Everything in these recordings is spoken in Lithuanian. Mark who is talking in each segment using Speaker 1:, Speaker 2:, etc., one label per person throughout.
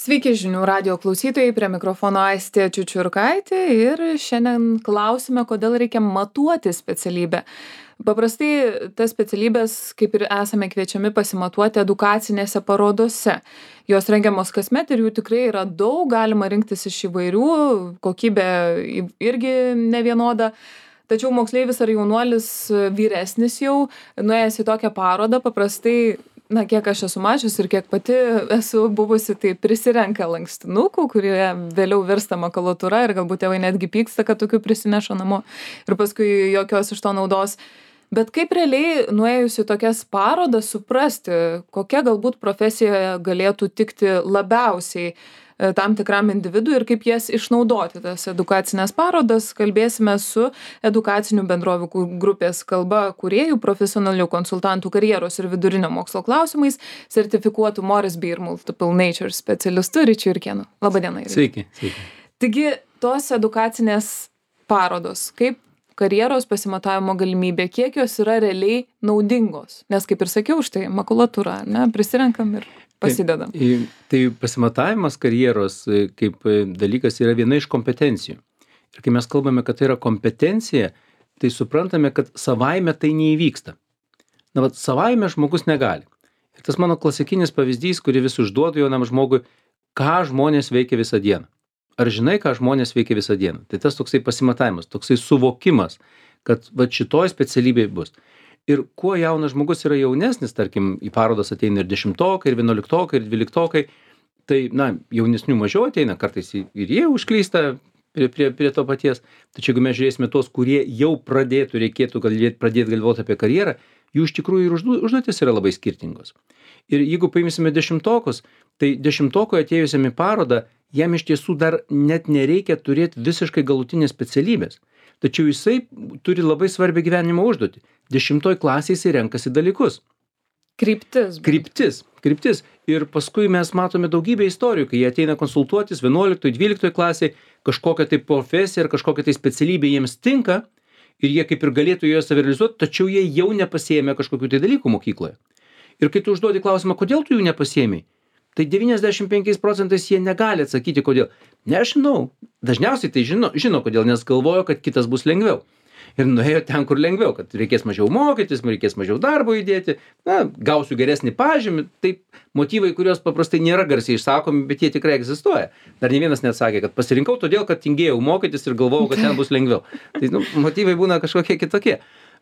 Speaker 1: Sveiki žinių radijo klausytojai, prie mikrofono Aistė Čiučiurkaitė ir šiandien klausime, kodėl reikia matuoti specialybę. Paprastai tas specialybės, kaip ir esame kviečiami pasimatuoti edukacinėse parodose. Jos rengiamos kasmet ir jų tikrai yra daug, galima rinktis iš įvairių, kokybė irgi nevienoda. Tačiau moksleivis ar jaunuolis vyresnis jau, nuėjęs į tokią parodą, paprastai kiek aš esu mačius ir kiek pati esu buvusi, tai prisirenka lankstinukų, kurie vėliau virsta makulatūra ir galbūt tėvai netgi pyksta, kad tokių prisineša namo ir paskui jokios iš to naudos. Bet kaip realiai nuėjus į tokias parodas suprasti, kokia galbūt profesija galėtų tikti labiausiai tam tikram individui ir kaip jas išnaudoti, tas edukacinės parodas, kalbėsime su edukacinių bendrovių grupės kalba kūrėjų, profesionalių konsultantų karjeros ir vidurinio mokslo klausimais, sertifikuotų Moresby ir Multiple Nature specialistu Ryčiu Jurkėnu. Labadiena.
Speaker 2: Sveiki, sveiki.
Speaker 1: Taigi, tos edukacinės parodos, kaip karjeros pasimatavimo galimybė, kiek jos yra realiai naudingos? Nes, kaip ir sakiau, štai makulatūra, prisirenkam ir pasidedam.
Speaker 2: Tai pasimatavimas karjeros kaip dalykas yra viena iš kompetencijų. Ir kai mes kalbame, kad tai yra kompetencija, tai suprantame, kad savaime tai neįvyksta. Savaime žmogus negali. Ir tas mano klasikinis pavyzdys, kurį vis užduodu jaunam žmogui, ką žmonės veikia visą dieną. Ar žinai, ką žmonės veikia visą dieną? Tai tas toksai pasimatavimas, toksai suvokimas, kad šitoj specialybėj bus. Ir kuo jaunas žmogus yra jaunesnis, tarkim, į parodas ateina ir 10-okai, ir 11-okai, ir 12-okai, tai, jaunesnių mažiau ateina, kartais ir jie užklysta prie to paties. Tačiau jeigu mes žiūrėsime tos, kurie jau reikėtų pradėti galvoti apie karjerą, jų iš tikrųjų ir užduotis yra labai skirtingos. Ir jeigu paimsime 10-okus, tai 10-okui atėjusiam į parodą, jam iš tiesų dar net nereikia turėti visiškai galutinės specialybės. Tačiau jisai turi labai svarbią gyvenimo užduotį. 10 klasėje jisai renkasi dalykus. Kryptis. Ir paskui mes matome daugybę istorijų, kai jie ateina konsultuotis 11-12 klasėje, kažkokią tai profesiją ar kažkokią tai specialybę jiems tinka ir jie kaip ir galėtų joje savirealizuoti, tačiau jie jau nepasiėmė kažkokių tai dalykų mokykloje. Ir kai tu užduodi klausimą, kodėl tu jų nepasiėmei, tai 95% jie negali atsakyti, kodėl. Nežinau. Dažniausiai tai žino kodėl, nes galvojo, kad kitas bus lengviau. Ir nuėjo ten, kur lengviau, kad reikės mažiau mokytis, reikės mažiau darbo įdėti, gausiu geresnį pažymį. Tai motyvai, kurios paprastai nėra garsiai išsakomi, bet jie tikrai egzistuoja. Dar ne vienas neatsakė, kad pasirinkau todėl, kad tingėjau mokytis ir galvojau, kad ten bus lengviau. Tai motyvai būna kažkokie kitokie.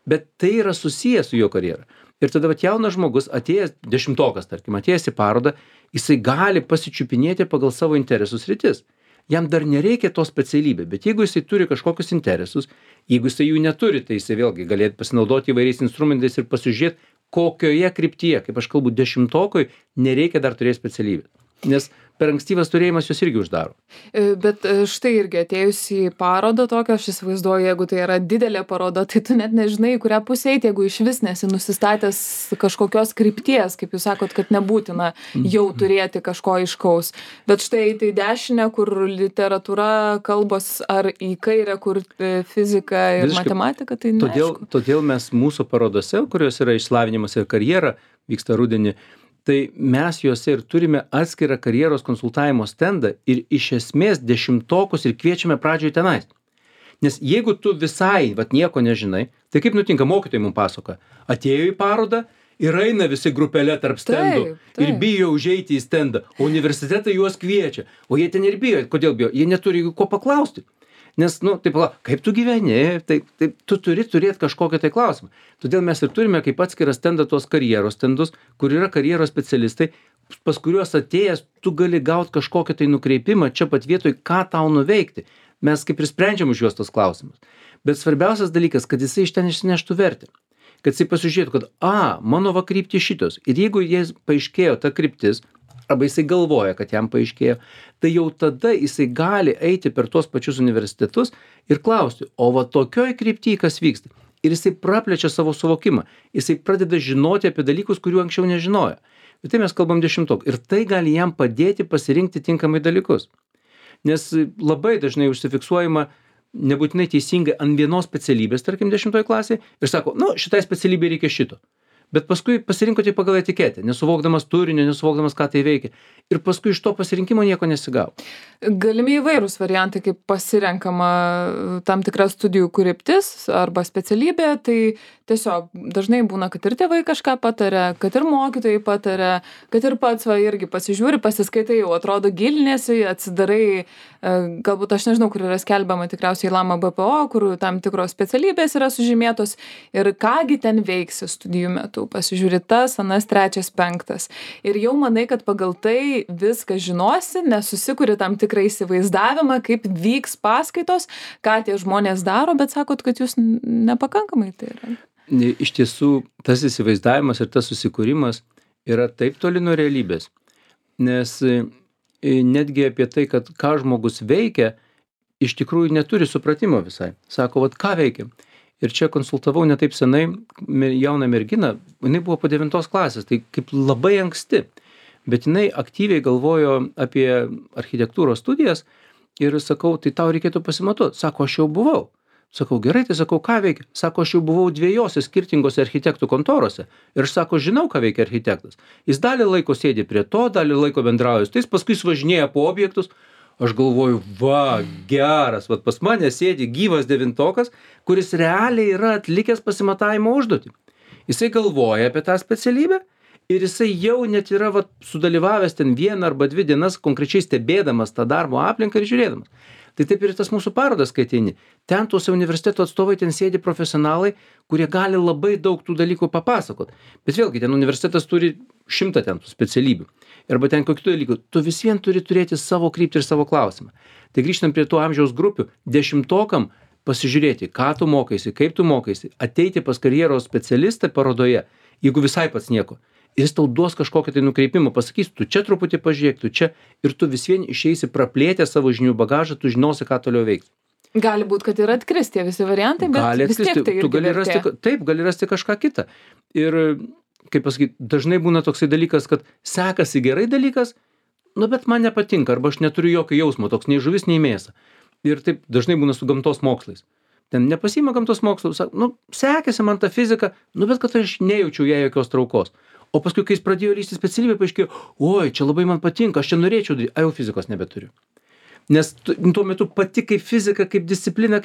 Speaker 2: Bet tai yra susijęs su jo karjera. Ir tada jaunas žmogus atėjęs, 10-okas, tarkim, atėjęs į parodą, jisai gali pasičiupinėti pagal savo interesų sritis. Jam dar nereikia to specialybė, bet jeigu jisai turi kažkokius interesus, jeigu jisai jų neturi, tai jisai vėlgi galėtų pasinaudoti įvairiais instrumentais ir pasižiūrėti, kokioje kryptyje, kaip aš kalbu, 10-okui nereikia dar turėti specialybę. Nes per ankstyvas turėjimas jos irgi uždaro.
Speaker 1: Bet štai irgi atėjus į parodą tokią, aš įsivaizduoju, jeigu tai yra didelė paroda, tai tu net nežinai, į kurią pusę eiti, jeigu iš vis nesi nusistatęs kažkokios krypties, kaip jūs sakot, kad nebūtina jau turėti kažko aiškaus. Bet štai eiti į dešinę, kur literatūra, kalbos, ar į kairę, kur fizika ir matematika, tai neaišku.
Speaker 2: Todėl mes mūsų parodose, kurios yra išsilavinimas ir karjera, vyksta rudenį, tai mes juose ir turime atskirą karjeros konsultavimo stendą ir iš esmės 10-okus ir kviečiame pradžioje tenais. Nes jeigu tu visai nieko nežinai, tai kaip nutinka, mokytojai mums pasakoja, atėjo į parodą ir eina visi grupelė tarp stendų ir bijo užeiti į stendą, o universitetai juos kviečia, o jie ten ir bijo. Kodėl bijo? Jie neturi ko paklausti. Nes, kaip tu gyveni, tai tu turi turėti kažkokią tai klausimą. Todėl mes ir turime kaip atskirą stendą tos karjeros stendus, kur yra karjeros specialistai, pas kuriuos atėjęs tu gali gauti kažkokią tai nukreipimą čia pat vietoj, ką tau nuveikti. Mes kaip ir sprendžiam už juos tos klausimus. Bet svarbiausias dalykas, kad jisai iš ten išsineštų vertę. Kad jisai pasižiūrėtų, kad mano kryptis šitos. Ir jeigu jis paaiškėjo ta kryptis, arba jisai galvoja, kad jam paaiškėjo, tai jau tada jisai gali eiti per tuos pačius universitetus ir klausti, o tokioj kryptyje kas vyksta. Ir jisai praplečia savo suvokimą. Jisai pradeda žinoti apie dalykus, kurių anksčiau nežinojo. Ir tai mes kalbam 10-okų. Ir tai gali jam padėti pasirinkti tinkamai dalykus. Nes labai dažnai užsifiksuojama nebūtinai teisingai ant vienos specialybės, tarkim 10 klasėje, ir sako, šitai specialybė reikia šito. Bet paskui pasirinkote pagal etiketę, nesuvokdamas turinio, nesuvokdamas, ką tai veikia. Ir paskui iš to pasirinkimo nieko nesigavo.
Speaker 1: Galimi įvairūs variantai, kaip pasirenkama tam tikra studijų kryptis arba specialybė, tai tiesiog dažnai būna, kad ir tėvai kažką pataria, kad ir mokytojai pataria, kad ir pats irgi pasižiūri, pasiskaitai, jau atrodo gilinėsi, atsidarai, galbūt aš nežinau, kur yra skelbiama tikriausiai Lama BPO, kur tam tikros specialybės yra sužymėtos ir kągi ten veiksi studijų metu, pasižiūri tas, anas, trečias, penktas. Ir jau manai, kad pagal tai viską žinosi, nesusikuri tam tikrą įsivaizdavimą, kaip vyks paskaitos, ką tie žmonės daro, bet sakot, kad jūs nepakankamai tai yra.
Speaker 2: Iš tiesų, tas įsivaizdavimas ir tas susikūrimas yra taip toli nuo realybės, nes netgi apie tai, kad ką žmogus veikia, iš tikrųjų neturi supratimo visai. Sako, vat ką veikia. Ir čia konsultavau ne taip senai jauną merginą, jinai buvo po 9 klasės, tai kaip labai anksti, bet jinai aktyviai galvojo apie architektūros studijas ir sakau, tai tau reikėtų pasimatuoti. Sako, aš jau buvau. Sakau, gerai, tai sakau, ką veikia? Sako, aš jau buvau 2 skirtingose architektų kontorose ir aš sako, žinau, ką veikia architektas. Jis dalį laiko sėdi prie to, dalį laiko bendrauja su tais, paskui jis važinėja po objektus. Aš galvoju, va, geras, vat pas mane sėdi gyvas 9-okas, kuris realiai yra atlikęs pasimatavimo užduotį. Jisai galvoja apie tą specialybę ir jisai jau net yra vat sudalyvavęs ten 1 arba 2 dienas konkrečiai stebėdamas tą darbo aplinką ir žiūrėdamas. Tai taip ir tas mūsų parodas, kai ateini. Ten tuose universiteto atstovai, ten sėdi profesionalai, kurie gali labai daug tų dalykų papasakot. Bet vėlgi, ten universitetas turi 100 ten tų specialybių. Arba ten kokių dalykų. Tu vis vien turi turėti savo kryptį ir savo klausimą. Tai grįžtam prie tų amžiaus grupių. 10-okam pasižiūrėti, ką tu mokaisi, kaip tu mokaisi. Ateiti pas karjeros specialistą parodoje, jeigu visai pats nieko. Ir jis tau duos kažkokią tai nukreipimą, pasakys, tu čia truputį pažiūrėk, tu čia, ir tu vis vien išeisi praplėtę savo žinių bagažą, tu žinosi, ką toliau veikti.
Speaker 1: Gali būti, kad ir atkris tie visi variantai, bet
Speaker 2: gali
Speaker 1: vis tiek tai
Speaker 2: tu gali rasti, taip, gali rasti kažką kitą. Ir, kaip pasakyti, dažnai būna toksai dalykas, kad sekasi gerai dalykas, nu bet man nepatinka, arba aš neturiu jokio jausmo, toks nei žuvis, nei mėsa. Ir taip dažnai būna su gamtos mokslais. Ten nepasiima gamtos mokslų, sako, nu, sekėsi man ta fizika, nu bet kad aš nejaučiau jai jokios traukos. O paskui, kai jis pradėjo lysti specialybę, paaiškėjo, oi, čia labai man patinka, aš čia norėčiau daryti, jau fizikos nebeturiu. Nes tuo metu pati kaip fizika, kaip disciplina,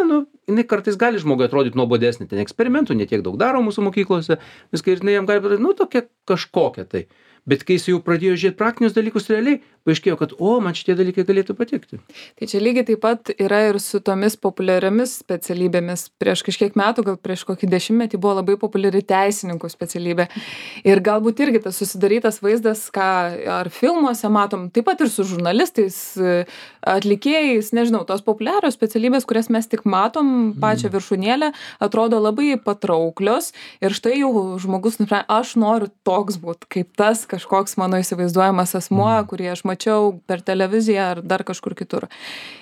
Speaker 2: nu, jinai kartais gali žmogui atrodyti nuobodesnė, ten eksperimentų netiek daug daro mūsų mokyklose, viskai ir jinai jam gali padaryti, nu, tokia kažkokia tai. Bet kai jis jau pradėjo žiūrėti praktinius dalykus realiai, paaiškėjo, kad, man šitie dalykai galėtų patikti.
Speaker 1: Tai čia lygiai taip pat yra ir su tomis populiariomis specialybėmis. Prieš kažkiek metų, gal prieš kokį 10-metį buvo labai populiari teisininkų specialybė. Ir galbūt irgi tas susidarytas vaizdas, ką ar filmuose matom, taip pat ir su žurnalistais, atlikėjais, nežinau, tos populiarios specialybės, kurias mes tik matom, pačią viršūnėlę, atrodo labai patrauklios. Ir štai jau žmogus nusprendė, aš noriu toks būt, kaip tas kažkoks mano įsivaizduojamas asmuo, kurį aš mačiau per televiziją ar dar kažkur kitur.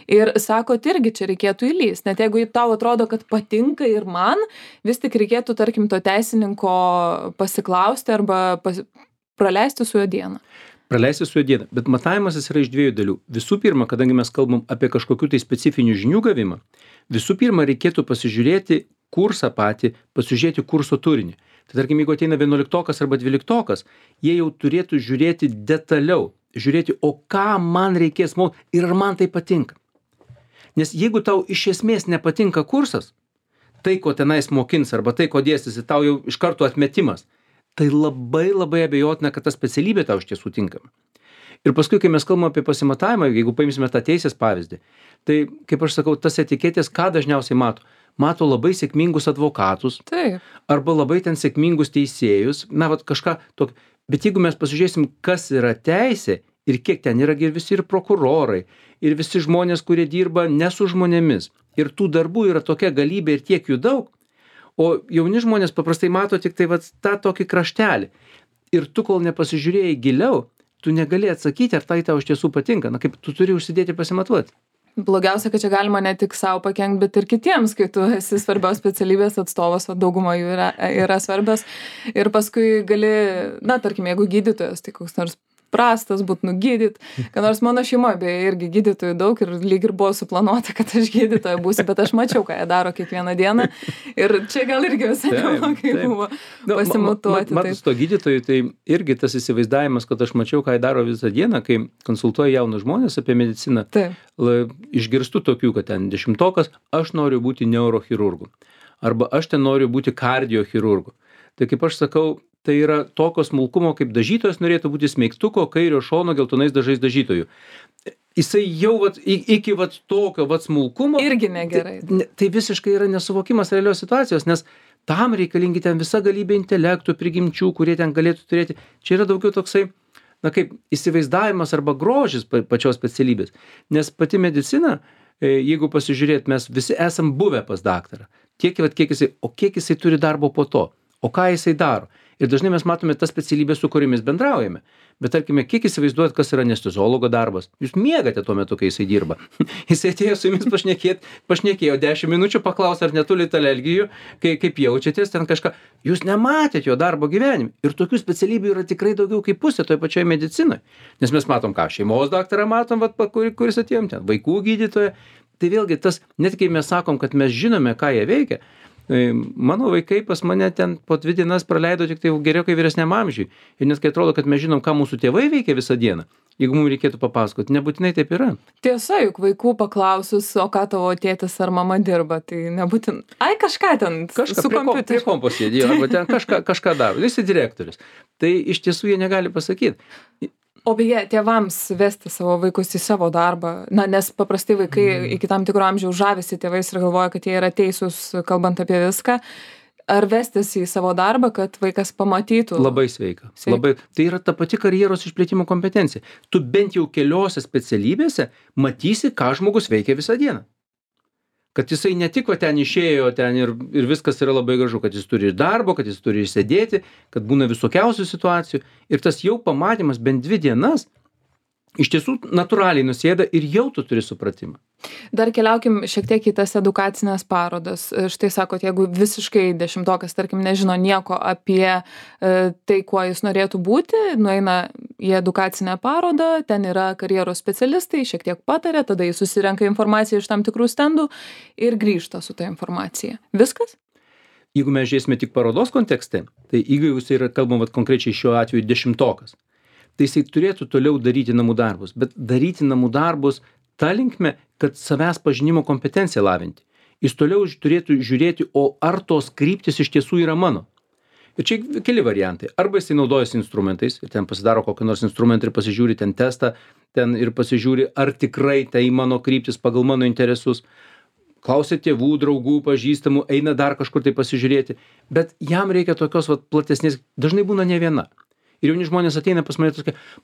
Speaker 1: Ir sakot, irgi čia reikėtų įlįsti, net jeigu tau atrodo, kad patinka ir man, vis tik reikėtų, tarkim, to teisininko pasiklausti arba praleisti su juo dieną.
Speaker 2: Praleisti su juo dieną, bet matavimas jis yra iš 2 dalių. Visų pirma, kadangi mes kalbam apie kažkokių tai specifinių žinių gavimą, visų pirma reikėtų pasižiūrėti kursą patį, pasižiūrėti kurso turinį. Tai tarkim, jeigu ateina 11-okas arba 12-okas, jie jau turėtų žiūrėti detaliau, žiūrėti, o ką man reikės mokyti ir ar man tai patinka. Nes jeigu tau iš esmės nepatinka kursas, tai, ko tenais mokins arba tai, ko dėstysi, tau jau iš karto atmetimas, tai labai labai abejotina, kad ta specialybė tau iš tiesų tinkama. Ir paskui, kai mes kalbame apie pasimatavimą, jeigu paimsime tą teisės pavyzdį, tai, kaip aš sakau, tas etiketės, ką dažniausiai mato? Mato labai sėkmingus advokatus,
Speaker 1: Taip.
Speaker 2: arba labai ten sėkmingus teisėjus, na, vat kažką tokio. Bet jeigu mes pasižiūrėsim, kas yra teisė ir kiek ten yra visi ir prokurorai, ir visi žmonės, kurie dirba ne su žmonėmis, ir tų darbų yra tokia galybė ir tiek jų daug, o jauni žmonės paprastai mato tik tai vat tą tokį kraštelį. Ir tu, kol nepasižiūrėjai giliau, tu negali atsakyti, ar tai tau iš tiesų patinka. Na, kaip tu turi užsidėti pasimatuoti.
Speaker 1: Blogiausia, kad čia galima ne tik savo pakenkti, bet ir kitiems, kai tu esi svarbios specialybės atstovas, o dauguma jų yra svarbios. Ir paskui gali, na, tarkim, jeigu gydytojas, tai koks nors prastas, būt nugydyt. Kad nors mano šeimoje beje irgi gydytojų daug ir lyg ir buvo suplanuota, kad aš gydytoja būsiu, bet aš mačiau, ką jie daro kiekvieną dieną. Ir čia gal irgi visai neblogai buvo pasimutuoti.
Speaker 2: Matus to gydytojų, tai irgi tas įsivaizdavimas, kad aš mačiau, ką jie daro visą dieną, kai konsultuoju jaunus žmonės apie mediciną. Išgirstu tokių, kad ten 10-okas, aš noriu būti neurochirurgu. Arba aš ten noriu būti kardiochirurgu. Tai kaip aš sakau, tai yra tokio smulkumo, kaip dažytojas norėtų būti smeigtuko kairio šono geltonais dažais dažytojų. Jisai jau iki tokio smulkumo.
Speaker 1: Irgi negerai.
Speaker 2: Tai visiškai yra nesuvokimas realios situacijos, nes tam reikalingi ten visa galybė intelektų, prigimčių, kurie ten galėtų turėti. Čia yra daugiau toksai, kaip įsivaizdavimas arba grožis pačios specialybės. Nes pati medicina, jeigu pasižiūrėt, mes visi esam buvę pas daktarą. Kiek jisai turi darbo po to, o ką jisai daro. Ir dažnai mes matome tas specialybės, su kuriomis bendraujame. Bet tarkime, kiek įsivaizduojat, kas yra anesteziologo darbas? Jūs miegate tuo metu, kai jisai dirba. Jisai atėjo su jumis pašnekėjo 10 minučių, paklausė, ar netulite alergijų, kaip jaučiatės, ten kažką. Jūs nematėt jo darbo gyvenime. Ir tokių specialybių yra tikrai daugiau kaip pusė toje pačioje medicinoje. Nes mes matom, ką šeimos daktarą matom, kuris atėjom ten, vaikų gydytoją. Tai vėlgi tas, net kai mes sakom, kad mes žinome, ką jie veikia, mano vaikai pas mane ten po 2 dienas praleido tik tai geriau kai vyresniam amžiui. Ir net kai atrodo, kad mes žinom, ką mūsų tėvai veikia visą dieną, jeigu mums reikėtų papasakoti, nebūtinai taip yra.
Speaker 1: Tiesa, juk vaikų paklausus, o ką tavo tėtis ar mama dirba, tai nebūtinai. Ai, kažką ten su kompiuteriu.
Speaker 2: Prie kompo sėdėjo, arba ten kažką daro. Jis yra direktorius. Tai iš tiesų jie negali pasakyti.
Speaker 1: O beje, tėvams vesti savo vaikus į savo darbą, nes paprastai vaikai iki tam tikro amžiaus žavisi tėvais ir galvoja, kad jie yra teisūs, kalbant apie viską. Ar vestis į savo darbą, kad vaikas pamatytų?
Speaker 2: Labai sveika. Tai yra ta pati karjeros išplėtimo kompetencija. Tu bent jau keliose specialybėse matysi, ką žmogus veikia visą dieną. Kad jisai ne tik ten išėjo ten ir viskas yra labai gražu, kad jis turi ir darbo, kad jis turi ir sėdėti, kad būna visokiausių situacijų. Ir tas jau pamatymas bent 2 dienas iš tiesų natūraliai nusėda ir jau tu turi supratimą.
Speaker 1: Dar keliaukim šiek tiek į tas edukacinės parodas. Štai sakot, jeigu visiškai 10-okas, tarkim, nežino nieko apie tai, kuo jis norėtų būti, nueina į edukacinę parodą, ten yra karjeros specialistai, šiek tiek patarė, tada jis susirenka informaciją iš tam tikrų stendų ir grįžta su ta informacija. Viskas?
Speaker 2: Jeigu mes žiūrėsime tik parodos kontekste, tai jeigu jūs yra kalbam konkrečiai šiuo atveju 10-okas, tai jisai turėtų toliau daryti namų darbus, bet daryti namų darbus ta linkme, kad savęs pažinimo kompetenciją lavinti. Jis toliau turėtų žiūrėti, o ar tos kryptis iš tiesų yra mano. Ir čia keli variantai. Arba jisai naudojasi instrumentais ir ten pasidaro kokį nors instrumentą ir pasižiūri ten testą, ten ir pasižiūri, ar tikrai tai mano kryptis pagal mano interesus. Klausia tėvų, draugų, pažįstamų, eina dar kažkur tai pasižiūrėti. Bet jam reikia tokios platesnės, dažnai būna ne viena. Ir jauni žmonės ateina pas mane,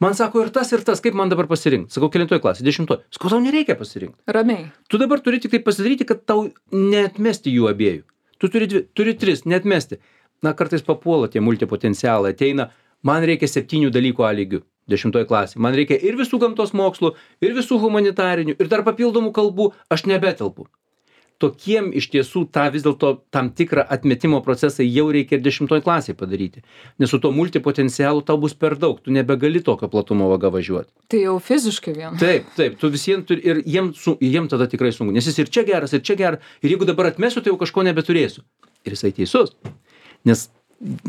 Speaker 2: man sako ir tas, kaip man dabar pasirinkti. Sakau, kelintoj klasė, 10. Sakau, tau nereikia pasirinkti.
Speaker 1: Ramiai.
Speaker 2: Tu dabar turi tik tai pasidaryti, kad tau neatmesti jų abiejų. Tu turi 3, neatmesti. Kartais papuola tie multipotencialai, ateina, man reikia 7 dalykų A lygių, 10 klasė. Man reikia ir visų gamtos mokslų, ir visų humanitarinių, ir dar papildomų kalbų, aš nebetelpu. Tokiem iš tiesų tą vis dėlto tam tikrą atmetimo procesą jau reikia ir 10 klasėje padaryti. Nes su to multipotencialu tau bus per daug, tu nebegali tokio platumo vaga važiuoti.
Speaker 1: Tai jau fiziškai vien.
Speaker 2: Taip, tu visiems turi ir jiem tada tikrai sunku, nes jis ir čia geras, ir jeigu dabar atmesiu, tai jau kažko nebeturėsiu. Ir jisai teisus. Nes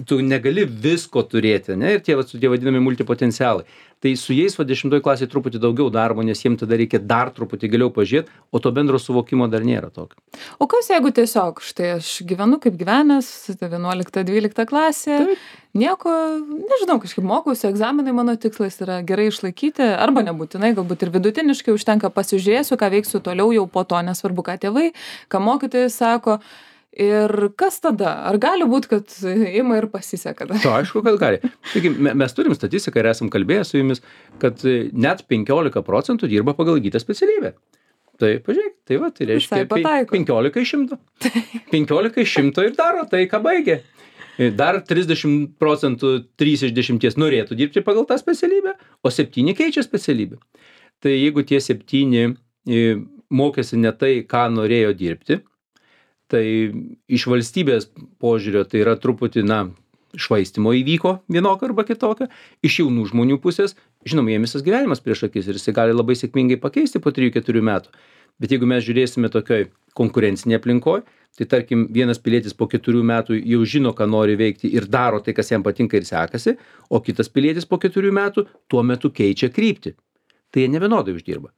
Speaker 2: tu negali visko turėti, ne? Ir tie vadinami multipotencialai. Tai su jais 10 klasėje truputį daugiau darbo, nes jiems tada reikia dar truputį giliau pažiūrėti, o to bendro suvokimo dar nėra tokio.
Speaker 1: O kas jeigu tiesiog, štai aš gyvenu kaip gyvenęs, 11-12 klasė, nieko, nežinau, kažkaip mokausi, egzaminai mano tikslas yra gerai išlaikyti, arba nebūtinai, galbūt ir vidutiniškai užtenka pasižiūrėsiu, ką veiksiu toliau jau po to, nesvarbu, ką tėvai, ką mokytojai sako. Ir kas tada? Ar gali būti, kad ima ir pasiseka?
Speaker 2: To aišku, kad gali. Taigi, mes turim statistiką ir esam kalbėję su jumis, kad net 15% dirba pagal įgytą specialybę. Tai pažiūrėk, tai reiškia 15 iš 100. 15 iš 100 ir daro tai, ką baigė. Dar 30%, 3 iš 10 norėtų dirbti pagal tą specialybę, o 7 keičia specialybę. Tai jeigu tie 7 mokėsi ne tai, ką norėjo dirbti, tai iš valstybės požiūrio tai yra truputį, švaistymo įvyko vienokio arba kitokio, iš jaunų žmonių pusės žinoma, jiem visas gyvenimas prieš akis ir jisai gali labai sėkmingai pakeisti po 3-4 metų. Bet jeigu mes žiūrėsime tokioj konkurencinėj aplinkoj, tai tarkim vienas pilietis po 4 metų jau žino, ką nori veikti ir daro tai, kas jam patinka ir sekasi, o kitas pilietis po 4 metų tuo metu keičia kryptį. Tai jie nevienodai uždirba.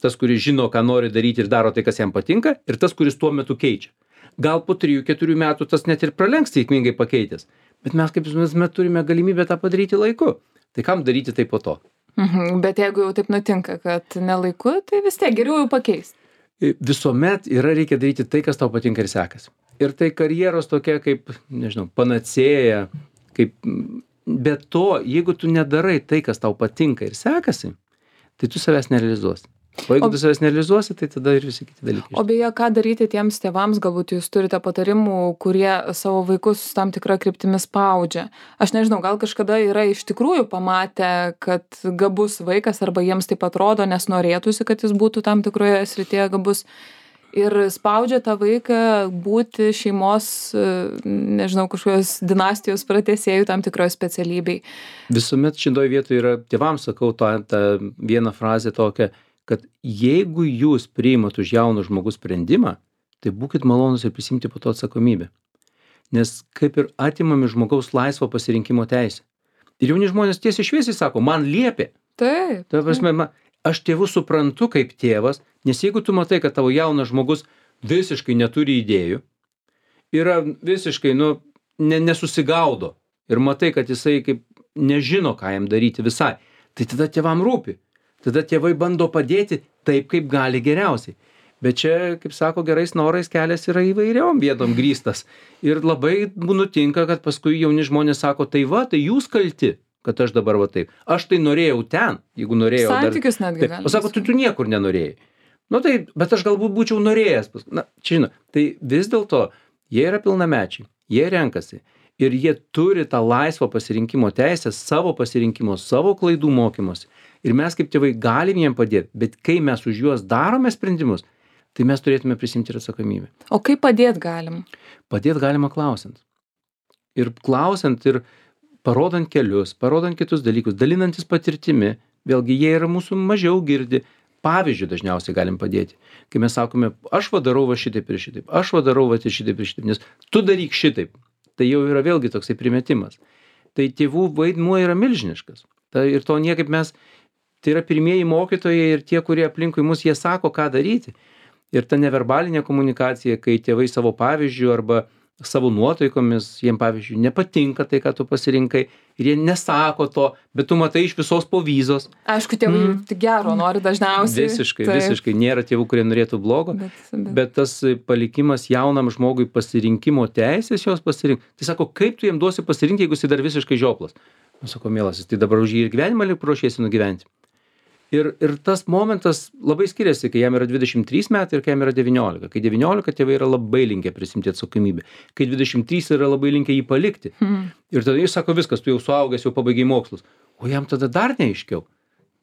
Speaker 2: Tas, kuris žino, ką nori daryti ir daro tai, kas jam patinka, ir tas, kuris tuo metu keičia. Gal po 3-4 metų tas net ir pralenks sėkmingai pakeitęs, bet mes kaip visuomet turime galimybę tą padaryti laiku. Tai kam daryti tai po to?
Speaker 1: Bet jeigu jau taip nutinka, kad nelaiku, tai vis tiek geriau jau pakeisti.
Speaker 2: Visuomet reikia daryti tai, kas tau patinka ir sekasi. Ir tai karjeros tokia kaip, nežinau, panacėja, kaip, be to, jeigu tu nedarai tai, kas tau patinka ir sekasi, tai tu savęs nerealizuosi. O jeigu tu savęs nerealizuosi, tai tada ir visi kiti dalykai.
Speaker 1: O beje, ką daryti tiems tėvams, galbūt jūs turite patarimų, kurie savo vaikus tam tikrą kryptimį spaudžia. Aš nežinau, gal kažkada yra iš tikrųjų pamatę, kad gabus vaikas arba jiems taip atrodo, nes norėtųsi, kad jis būtų tam tikroje srityje gabus. Ir spaudžia tą vaiką būti šeimos, nežinau, kažkokios dinastijos pratęsėjų tam tikroje specialybei.
Speaker 2: Visuomet šitoj vietoje yra, tėvams sakau tą vieną frazę tokią, kad jeigu jūs priimat už jauną žmogus sprendimą, tai būkit malonus ir prisimti po to atsakomybę. Nes kaip ir atimami žmogaus laisvo pasirinkimo teisę. Ir jauni žmonės tiesiai šviesiai sako, man liepė.
Speaker 1: Taip.
Speaker 2: Ta prasme, aš tėvus suprantu kaip tėvas, nes jeigu tu matai, kad tavo jaunas žmogus visiškai neturi idėjų, yra visiškai, nesusigaudo ir matai, kad jisai kaip nežino, ką jam daryti visai, tai tada tėvam rūpi. Tada tėvai bando padėti taip, kaip gali geriausiai. Bet čia, kaip sako, gerais norais kelias yra įvairiom vietom grįstas. Ir labai nutinka, kad paskui jauni žmonės sako, tai va, tai jūs kalti, kad aš dabar va taip. Aš tai norėjau ten, jeigu norėjau.
Speaker 1: Santykius netgi
Speaker 2: galima. O sako, tu niekur nenorėjai. Tai, bet aš galbūt būčiau norėjęs. Čia žinot, tai vis dėlto jie yra pilnamečiai, jie renkasi. Ir jie turi tą laisvą pasirinkimo teisę, savo pasirinkimo, savo klaidų mokymosi. Ir mes kaip tėvai galim jiem padėti, bet kai mes už juos darome sprendimus, tai mes turėtume prisimti ir atsakomybę.
Speaker 1: O kaip padėti galim?
Speaker 2: Padėti galima klausiant. Ir klausiant ir parodant kelius, parodant kitus dalykus, dalinantis patirtimi, vėlgi jie yra mūsų mažiau girdi. Pavyzdžiui, dažniausiai galim padėti. Kai mes sakome, aš darau va šitaip ir šitaip, aš darau va šitaip ir šitaip, nes tu daryk šitaip. Tai jau yra vėlgi toksai primetimas. Tai tėvų vaidmuo yra milžiniškas. Ir to niekaip mes, tai yra pirmieji mokytojai ir tie, kurie aplinkui mus, jie sako, ką daryti. Ir ta neverbalinė komunikacija, kai tėvai savo pavyzdžių arba savo nuotaikomis, jiem pavyzdžiui, nepatinka tai, ką tu pasirinkai, ir jie nesako to, bet tu matai iš visos povyzos.
Speaker 1: Aišku, tėvai tik gero nori dažniausiai.
Speaker 2: Visiškai. Nėra tėvų, kurie norėtų blogo, bet tas palikimas jaunam žmogui pasirinkimo teisės jos pasirinkti. Tai sako, kaip tu jiem duosi pasirinkti, jeigu jis dar visiškai žioplas? Sako, mielasis, tai dabar už jį ir gyvenimą ruošiesi nugyventi. Ir tas momentas labai skiriasi, kai jam yra 23 metai ir kai jam yra 19. Kai 19 tėvai yra labai linkę prisimti atsakomybę. Kai 23 yra labai linkę jį palikti. Ir tada jis sako, viskas, tu jau suaugęs, jau pabaigai mokslus. O jam tada dar neaiškiau.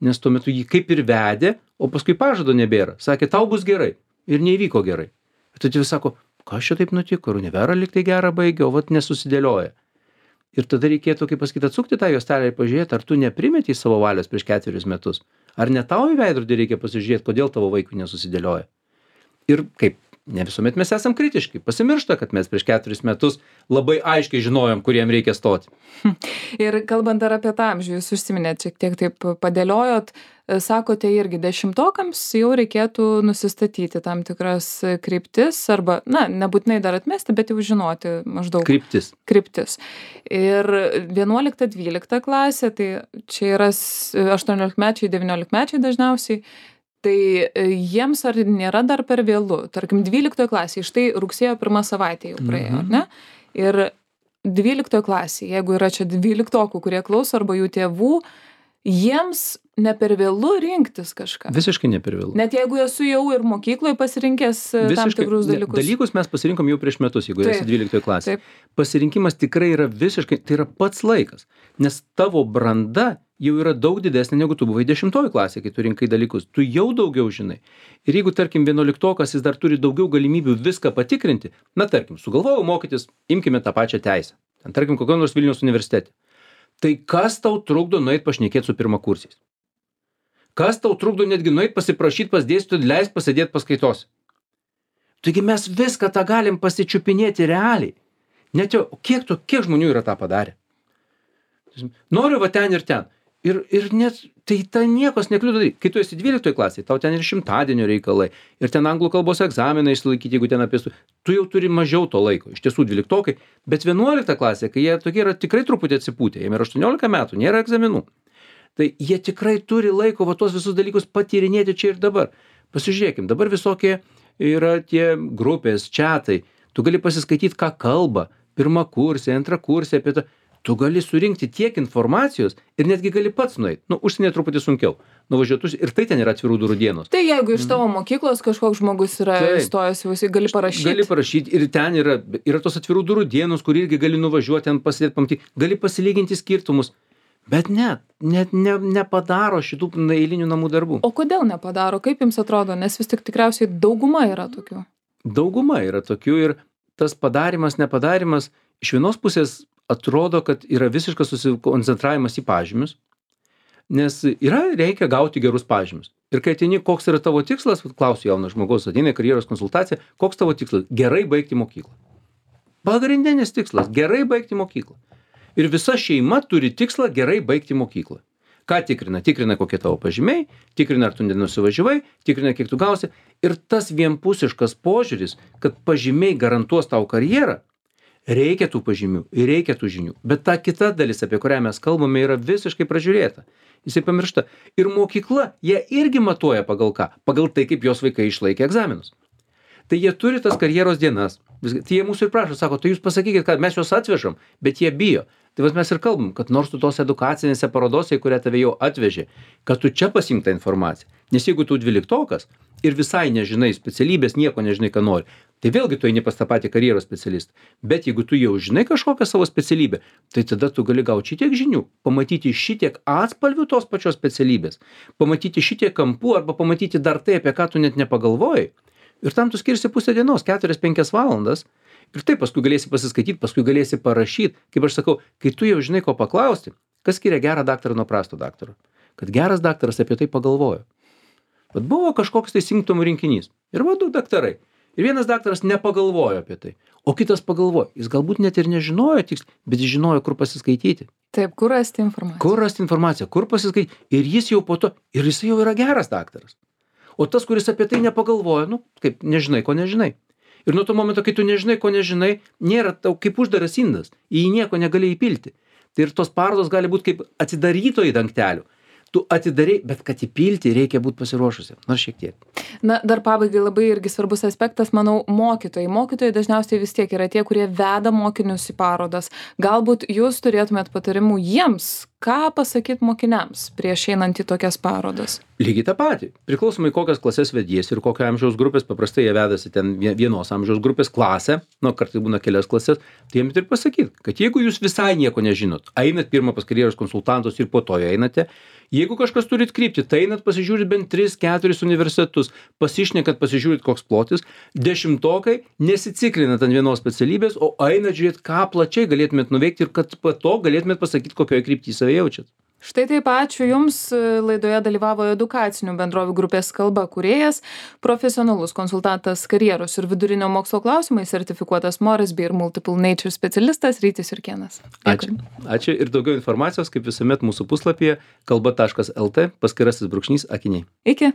Speaker 2: Nes tuo metu jį kaip ir vedė, o paskui pažado nebėra. Sakė, tau bus gerai. Ir neįvyko gerai. Ir tada jis sako, kas čia taip nutiko, univera lyg tai gerą baigė, o vat nesusidėlioja. Ir tada reikėtų, kaip pasakyti, atsukti tą juostelę ir pažiūrėti, ar tu neprimetei savo valios prieš 4 metus. Ar ne tau į veidrodį reikia pasižiūrėti, kodėl tavo vaikui nesusidėlioja. Ir kaip, ne visuomet mes esam kritiški. Pasimiršta, kad mes prieš 4 metus labai aiškiai žinojom, kuriem reikia stoti.
Speaker 1: Ir kalbant dar apie tą amžių, jūs užsiminėt, šiek tiek taip padėliojot, sakote irgi 10-okams jau reikėtų nusistatyti tam tikras kryptis arba, nebūtinai dar atmesti, bet jau žinoti maždaug. Kryptis. Ir 11-12 klasė, tai čia yra 18-mečiai, 19-mečiai dažniausiai, tai jiems ar nėra dar per vėlu? Tarkim, 12 klasėje, štai rugsėjo 1 savaitė jau praėjo, ar ne? Ir 12 klasėje, jeigu yra čia 12-okų, kurie klauso arba jų tėvų, jiems ne per vėlu rinktis kažką.
Speaker 2: Visiškai ne per vėlu.
Speaker 1: Net jeigu esu jau ir mokykloje pasirinkęs tam tikrus dalykus.
Speaker 2: Dalykus mes pasirinkom jau prieš metus, jeigu esi 12 klasėje. Pasirinkimas tikrai yra visiškai, tai yra pats laikas. Nes tavo branda jau yra daug didesnė, negu tu buvai 10 klasėje, kai tu rinkai dalykus. Tu jau daugiau žinai. Ir jeigu, tarkim, 11-okas jis dar turi daugiau galimybių viską patikrinti, tarkim, sugalvojau mokytis, imkime tą pačią teisę. Tarkim, kokio nors Vilniaus universitete. Tai kas tau trukdo nueit pašnekėt su pirmakursiais? Kas tau trukdo netgi nueit pasiprašyti pas dėstytoją, leist pasėdėt paskaitose? Taigi mes viską tą galim pasičiupinėti realiai. Net jau, kiek žmonių yra tą padarę? Noriu va ten ir ten. Ir net, tai niekos nekliudo daryti. Kai tu esi 12 klasėje, tau ten ir šimtadienio reikalai, ir ten anglų kalbos egzaminą išsilaikyti, jeigu ten apie tu jau turi mažiau to laiko. Iš tiesų 12, bet 11 klasė, kai jie tokie yra tikrai truputį atsipūtę, jiems yra 18 metų, nėra egzaminų. Tai jie tikrai turi laiko va tuos visus dalykus patyrinėti čia ir dabar. Pasižiūrėkim, dabar visokie yra tie grupės, čiatai. Tu gali pasiskaityti, ką kalba, pirmą kursę, antrą kursę apie tą. Tu gali surinkti tiek informacijos ir netgi gali pats nueit. Užsienyje truputį sunkiau. Nuvažiuotus ir tai ten yra atvirų durų dienos.
Speaker 1: Tai jeigu iš tavo mokyklos kažkoks žmogus yra įstojęs, gali parašyti.
Speaker 2: Gali parašyti ir ten yra tos atvirų durų dienos, kur irgi gali nuvažiuoti, ten pasidėti, pamatyti, gali pasilyginti skirtumus. Bet net nepadaro šitų eilinių namų darbų.
Speaker 1: O kodėl nepadaro? Kaip jums atrodo? Nes vis tik tikriausiai dauguma yra tokių.
Speaker 2: Dauguma yra tokių ir tas padarimas, nepadarimas iš vienos pusės atrodo, kad yra visiškas susikoncentravimas į pažymius, nes reikia gauti gerus pažymius. Ir kai ateini, koks yra tavo tikslas, klausiu jaunas žmogaus, ateina į karjeros konsultaciją, koks tavo tikslas? Gerai baigti mokyklą. Pagrindinis tikslas – gerai baigti mokyklą. Ir visa šeima turi tikslą gerai baigti mokyklą. Ką tikrina? Tikrina, kokie tavo pažymiai, tikrina, ar tu nenusivažiavai, tikrina, kiek tu gausi. Ir tas vienpusiškas požiūris, kad pažymiai garantuos tau karjerą, reikia tų pažymių ir reikia tų žinių. Bet ta kita dalis, apie kurią mes kalbame, yra visiškai pražiūrėta. Jisai pamiršta. Ir mokykla, jie irgi matuoja pagal ką? Pagal tai, kaip jos vaikai išlaikė egzaminus. Tai jie turi tas karjeros dienas. Tai jie mūsų ir prašo, sako, tai jūs pasakykit, kad mes juos atvežam, bet jie bijo. Tai mes ir kalbam, kad nors tu tos edukacinėse parodose, į kurią tave jau atvežė, kad tu čia pasiimk tą informaciją. Nes jeigu tu 12-okas ir visai nežinai specialybės, nieko nežinai, ką nori, tai vėlgi tu eini pas tą patį karjeros specialistą. Bet jeigu tu jau žinai kažkokią savo specialybę, tai tada tu gali gauti šitiek žinių, pamatyti šitiek atspalvių tos pačios specialybės, pamatyti šitiek kampų arba pamatyti dar tai, apie ką tu net nepagalvojai. Ir tam tu skirsi pusę dienos, 4-5 valandas. Ir taip paskui galėsi pasiskaityti, paskui galėsi parašyti. Kaip aš sakau, kai tu jau žinai, ko paklausti, kas skiria gerą daktarą nuo prasto daktaro? Kad geras daktaras apie tai pagalvojo. Bet buvo kažkoks tai simptomų rinkinys. Ir va, 2 daktarai. Ir vienas daktaras nepagalvojo apie tai. O kitas pagalvojo. Jis galbūt net ir nežinojo tiksliai, bet jis žinojo, kur pasiskaityti.
Speaker 1: Taip, kur rasti informaciją.
Speaker 2: Kur rasti informaciją, kur pasiskaityti. Ir jis jau po to, ir jis jau yra geras daktaras. O tas, kuris apie tai nepagalvojo, kaip nežinai, ko nežinai. Ir nuo to momento, kai tu nežinai, ko nežinai, nėra tau kaip uždaras indas, į jį nieko negali įpilti. Tai ir tos parodos gali būti kaip atsidarytojai dangtelių. Tu atidarai, bet kad įpilti reikia būti pasiruošusi, nors šiek tiek.
Speaker 1: Na, dar pabaigai labai irgi svarbus aspektas, manau, mokytojai. Mokytojai dažniausiai vis tiek yra tie, kurie veda mokinius į parodas. Galbūt jūs turėtumėt patarimų jiems, ką pasakyti mokiniams prieš einant į tokias parodas?
Speaker 2: Lygiai tą patį. Priklausomai kokias klases vediesi ir kokio amžiaus grupės, paprastai jie vedasi ten vienos amžiaus grupės klasę, kartais būna kelias klasės, tai jiems ir pasakyti, kad jeigu jūs visai nieko nežinot, einat pirmą pas karjeros konsultantus ir po to einate, jeigu kažkas turit kryptį, tai einat pasižiūrit bent 3-4 universitetus, pasišnekat, pasižiūrit koks plotis, 10-okai nesiciklinat ant vienos specialybės, o einat žiūrėt, ką plačiai galėtumėt nuveikti ir kad po to galėtumėt pasakyti, kokioje kryptyje save jaučiat.
Speaker 1: Štai taip, ačiū Jums. Laidoje dalyvavo edukacinių bendrovių grupės Kalba kūrėjas, profesionalus konsultantas karjeros ir vidurinio mokslo klausimais, sertifikuotas Moresby ir Multiple Nature specialistas Rytis Jurkėnas.
Speaker 2: Ačiū ir daugiau informacijos, kaip visuomet mūsų puslapyje kalba.lt /akiniai.
Speaker 1: Iki.